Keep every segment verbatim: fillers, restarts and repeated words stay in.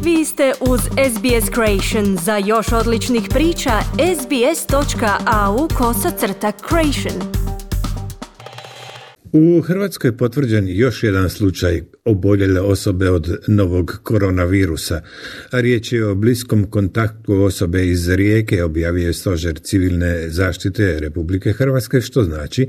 Vi ste uz S B S Creation. Za još odličnih priča, sbs.au kosacrta creation. U Hrvatskoj je potvrđen još jedan slučaj oboljele osobe od novog koronavirusa. Riječ je o bliskom kontaktu osobe iz Rijeke, objavio je Stožer civilne zaštite Republike Hrvatske, što znači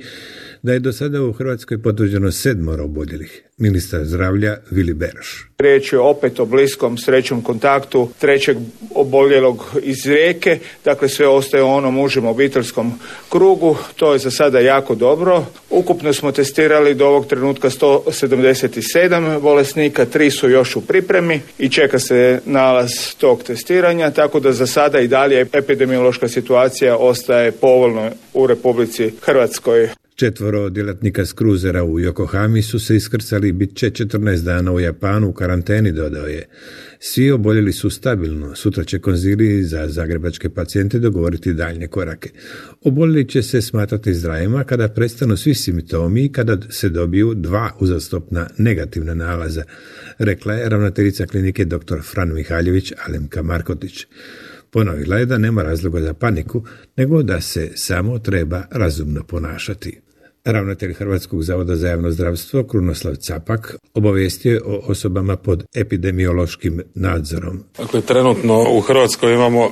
da je do sada u Hrvatskoj potvrđeno sedmoro oboljelih. Ministar zdravlja Vili Beroš. Riječ je opet o bliskom srećnom kontaktu trećeg oboljelog iz Rijeke, dakle sve ostaje u onom užem obiteljskom krugu, to je za sada jako dobro. Ukupno smo testirali do ovog trenutka sto sedamdeset sedam bolesnika, tri su još u pripremi i čeka se nalaz tog testiranja, tako da za sada i dalje epidemiološka situacija ostaje povoljna u Republici Hrvatskoj. Četvoro djelatnika s kruzera u Yokohami su se iskrcali i bit će četrnaest dana u Japanu u karanteni, dodao je. Svi oboljeli su stabilno. Sutra će konzilij za zagrebačke pacijente dogovoriti daljnje korake. Oboljeli će se smatrati zdravima kada prestanu svi simptomi i kada se dobiju dva uzastopna negativna nalaza, rekla je ravnateljica klinike dr. Fran Mihaljević Alemka Markotić. Ponovila je da nema razloga za paniku, nego da se samo treba razumno ponašati. Ravnatelj Hrvatskog zavoda za javno zdravstvo Krunoslav Capak obavijestio je o osobama pod epidemiološkim nadzorom. Dakle, trenutno u Hrvatskoj imamo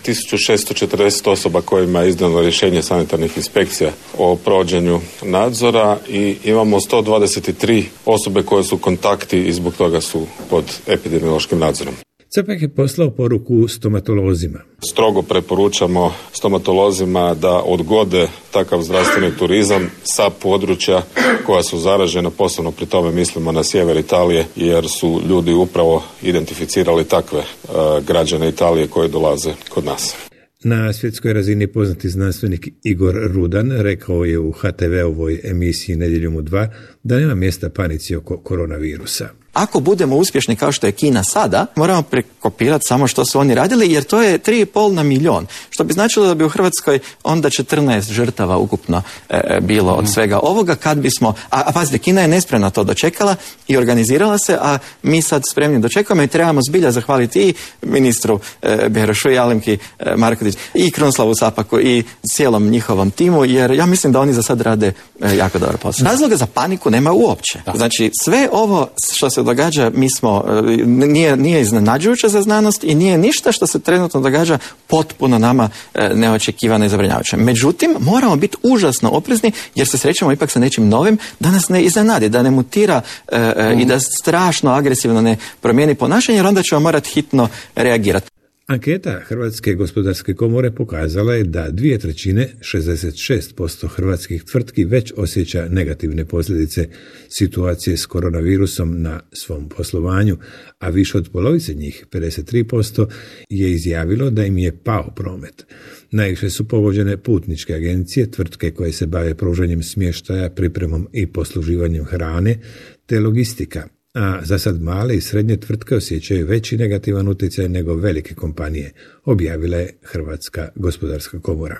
tisuću šesto četrdeset osoba kojima je izdano rješenje sanitarnih inspekcija o provođenju nadzora i imamo sto dvadeset tri osobe koje su kontakti i zbog toga su pod epidemiološkim nadzorom. Capak je poslao poruku stomatolozima. Strogo preporučamo stomatolozima da odgode takav zdravstveni turizam sa područja koja su zaražena, posebno pri tome mislimo na sjever Italije, jer su ljudi upravo identificirali takve uh, građane Italije koji dolaze kod nas. Na svjetskoj razini poznati znanstvenik Igor Rudan rekao je u H T V-ovoj emisiji Nedjeljom u dva da nema mjesta panici oko koronavirusa. Ako budemo uspješni kao što je Kina sada, moramo prekopirati samo što su oni radili, jer to je tri i pol na milion. Što bi značilo da bi u Hrvatskoj onda četrnaest žrtava ukupno e, bilo od svega ovoga, kad bismo, a, a pazite, Kina je nespremno to dočekala i organizirala se, a mi sad spremni dočekamo i trebamo zbilja zahvaliti i ministru e, Berošu i Alemki e, Markotić i Krunoslavu Capaku i cijelom njihovom timu, jer ja mislim da oni za sad rade e, jako dobar posao. Razloga za paniku nema uopće. Znači, sve ovo što se događa, mi smo, nije, nije iznenađujuće za znanost i nije ništa što se trenutno događa potpuno nama neočekivano i zabrinjavajuće. Međutim, moramo biti užasno oprezni jer se srećemo ipak sa nečim novim da nas ne iznenadi, da ne mutira e, mm. i da strašno agresivno ne promijeni ponašanje, jer onda ćemo morati hitno reagirati. Anketa Hrvatske gospodarske komore pokazala je da dvije trećine, šezdeset šest posto hrvatskih tvrtki već osjeća negativne posljedice situacije s koronavirusom na svom poslovanju, a više od polovice njih, pedeset tri posto, je izjavilo da im je pao promet. Najviše su pogođene putničke agencije, tvrtke koje se bave pružanjem smještaja, pripremom i posluživanjem hrane, te logistika. A za sad male i srednje tvrtke osjećaju veći negativan utjecaj nego velike kompanije, objavila je Hrvatska gospodarska komora.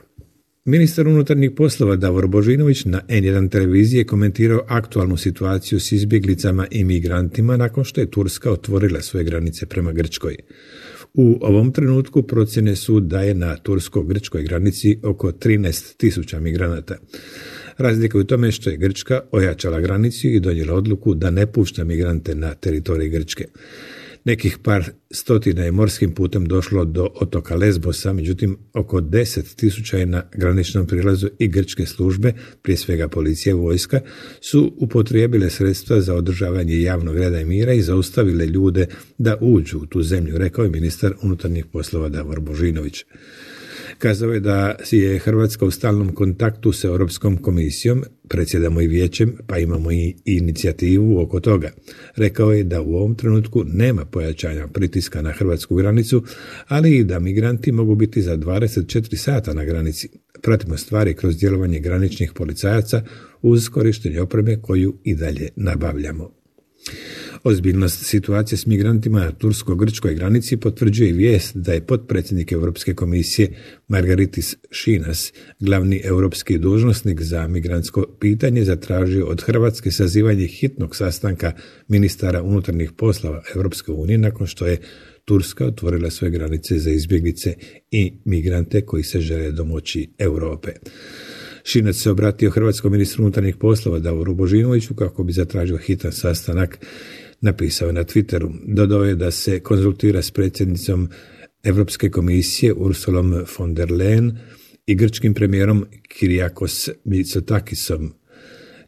Ministar unutarnjih poslova Davor Božinović na N jedan televiziji komentirao aktualnu situaciju s izbjeglicama i migrantima nakon što je Turska otvorila svoje granice prema Grčkoj. U ovom trenutku procjene su da je na tursko-grčkoj granici oko trinaest tisuća migranata. Razlika je u tome što je Grčka ojačala granicu i donijela odluku da ne pušta migrante na teritorij Grčke. Nekih par stotina je morskim putem došlo do otoka Lesbosa, međutim oko deset tisuća je na graničnom prilazu i grčke službe, prije svega policija i vojska, su upotrijebile sredstva za održavanje javnog reda i mira i zaustavile ljude da uđu u tu zemlju, rekao je ministar unutarnjih poslova Davor Božinović. Kazao je da je Hrvatska u stalnom kontaktu s Europskom komisijom, predsjedamo i vijećem, pa imamo i inicijativu oko toga. Rekao je da u ovom trenutku nema pojačanja pritiska na hrvatsku granicu, ali i da migranti mogu biti za dvadeset četiri sata na granici. Pratimo stvari kroz djelovanje graničnih policajaca uz korištenje opreme koju i dalje nabavljamo. Ozbiljnost situacije s migrantima na tursko-grčkoj granici potvrđuje i vijest da je potpredsjednik Europske komisije Margaritis Šinas, glavni europski dužnosnik za migrantsko pitanje, zatražio od Hrvatske sazivanje hitnog sastanka ministara unutarnjih poslova Europske unije nakon što je Turska otvorila svoje granice za izbjeglice i migrante koji se žele domoći Europe. Šinac se obratio hrvatskom ministru unutarnjih poslova Davoru Božinoviću kako bi zatražio hitan sastanak, napisao je na Twitteru. Dodao je da se konzultira s predsjednicom Europske komisije Ursulom von der Leyen i grčkim premijerom Kyriakos Mitsotakisom.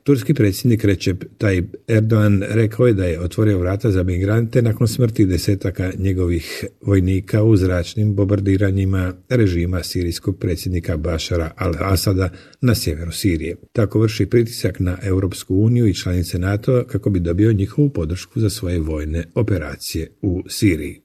Turski predsjednik Recep Tayyip Erdogan rekao je da je otvorio vrata za migrante nakon smrti desetaka njegovih vojnika u zračnim bombardiranjima režima sirijskog predsjednika Bašara al-Asada na sjeveru Sirije. Tako vrši pritisak na Europsku uniju i članice NATO kako bi dobio njihovu podršku za svoje vojne operacije u Siriji.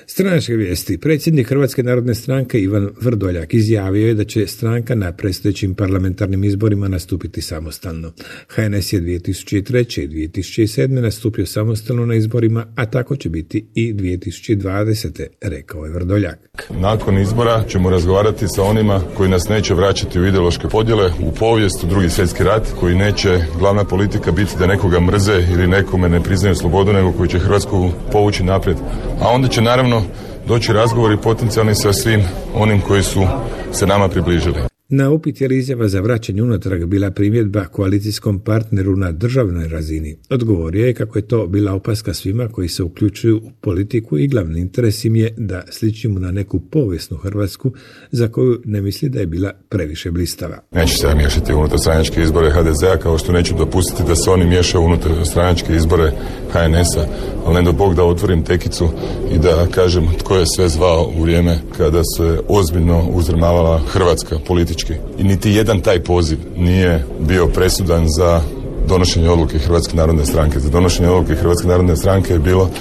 Stranačke vijesti. Predsjednik Hrvatske narodne stranke Ivan Vrdoljak izjavio je da će stranka na predstojećim parlamentarnim izborima nastupiti samostalno. H N S je dvije tisuće treće i dvije tisuće sedme nastupio samostalno na izborima, a tako će biti i dvije tisuće dvadesete, rekao je Vrdoljak. Nakon izbora ćemo razgovarati sa onima koji nas neće vraćati u ideološke podjele, u povijest, u Drugi svjetski rat, koji neće glavna politika biti da nekoga mrze ili nekome ne priznaju slobodu, nego koji će Hrvatsku povući naprijed. A onda će naravno doći razgovori potencijalni sa svim onim koji su se nama približili. Na upit je li izjava za vraćanje unatrag bila primjedba koalicijskom partneru na državnoj razini. Odgovorio je kako je to bila opaska svima koji se uključuju u politiku i glavni interes im je da sličimo na neku povijesnu Hrvatsku za koju ne misli da je bila previše blistava. Neću se miješati unutar stranačke izbore H D Z-a, kao što neću dopustiti da se oni miješaju unutar stranačke izbore H N S-a, ali ne do Bog da otvorim tekicu i da kažem tko je sve zvao u vrijeme kada se ozbiljno uzdrmavala Hrvatska politički. I niti jedan taj poziv nije bio presudan za donošenje odluke Hrvatske narodne stranke. Za donošenje odluke Hrvatske narodne stranke je bilo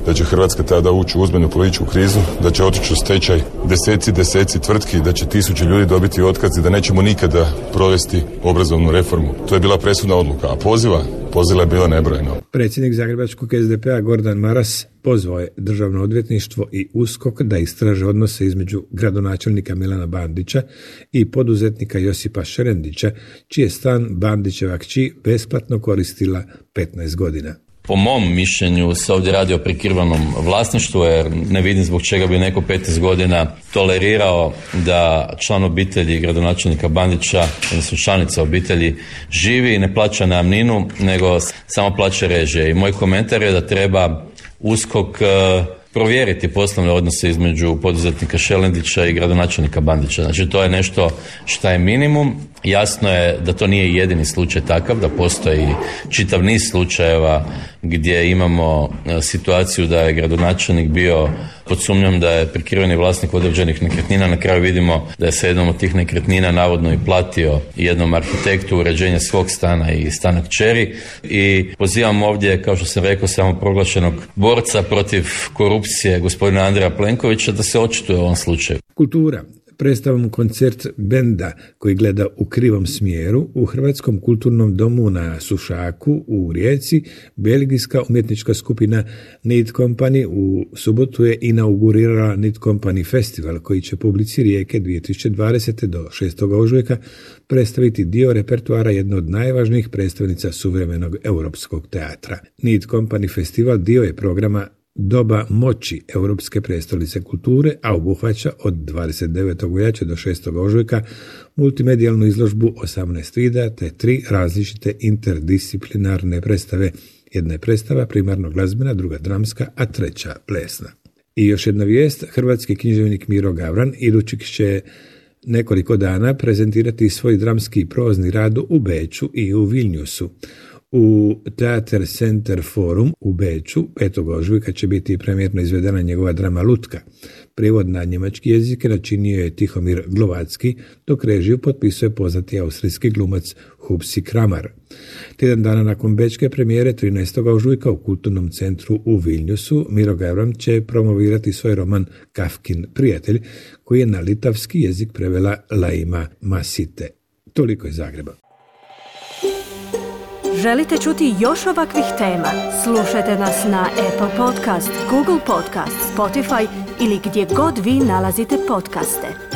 da će Hrvatska tada ući u ozbiljnu političku krizu, da će otići u stečaj deseci, deseci tvrtki, da će tisuće ljudi dobiti otkaz i da nećemo nikada provesti obrazovnu reformu. To je bila presudna odluka, a poziva, poziva je bilo nebrojeno. Predsjednik zagrebačkog S D P-a Gordan Maras pozvao je Državno odvjetništvo i USKOK da istraže odnose između gradonačelnika Milana Bandića i poduzetnika Josipa Šerendića, čiji je stan Bandićeva kći besplatno koristila petnaest godina. Po mom mišljenju se ovdje radi o prikrivenom vlasništvu, jer ne vidim zbog čega bi neko petnaest godina tolerirao da član obitelji gradonačelnika Bandića, odnosno članica obitelji, živi i ne plaća najamninu, nego samo plaća režije. I moj komentar je da treba USKOK provjeriti poslovne odnose između poduzetnika Šelendića i gradonačelnika Bandića. Znači to je nešto što je minimum. Jasno je da to nije jedini slučaj takav, da postoji čitav niz slučajeva gdje imamo situaciju da je gradonačelnik bio pod sumnjom da je prikriveni vlasnik određenih nekretnina. Na kraju vidimo da je se jednom od tih nekretnina navodno i platio jednom arhitektu uređenje svog stana i stana kćeri. I pozivam ovdje, kao što sam rekao, samo proglašenog borca protiv korupcije gospodina Andreja Plenkovića da se očituje u ovom slučaju. Kultura. Predstavom koncert benda koji gleda u krivom smjeru u Hrvatskom kulturnom domu na Sušaku u Rijeci, belgijska umjetnička skupina Need Company u subotu je inaugurirala Need Company festival koji će publici Rijeke dvije tisuće dvadesete do šestog ožujka predstaviti dio repertoara jedne od najvažnijih predstavnica suvremenog europskog teatra. Need Company festival dio je programa Doba moći Europske prijestolnice kulture, a obuhvaća od dvadeset devetog veljače do šestog ožujka multimedijalnu izložbu osamnaest videa te tri različite interdisciplinarne predstave. Jedna je predstava primarno glazbena, druga dramska, a treća plesna. I još jedna vijest, hrvatski književnik Miro Gavran idućih će nekoliko dana prezentirati svoj dramski prozni rad u Beču i u Vilniusu. U Theater Center Forum u Beču petog ožujka će biti premijerno izvedena njegova drama Lutka. Prijevod na njemački jezik načinio je Tihomir Glovacki, dok režiju potpisuje poznati austrijski glumac Hupsi Kramar. Tjedan dana nakon bečke premijere trinaestog ožujka u Kulturnom centru u Vilniusu Miro Gavran će promovirati svoj roman Kafkin prijatelj, koji je na litavski jezik prevela Laima Masite. Toliko iz Zagreba. Želite čuti još ovakvih tema? Slušajte nas na Apple Podcast, Google Podcast, Spotify ili gdje god vi nalazite podcaste.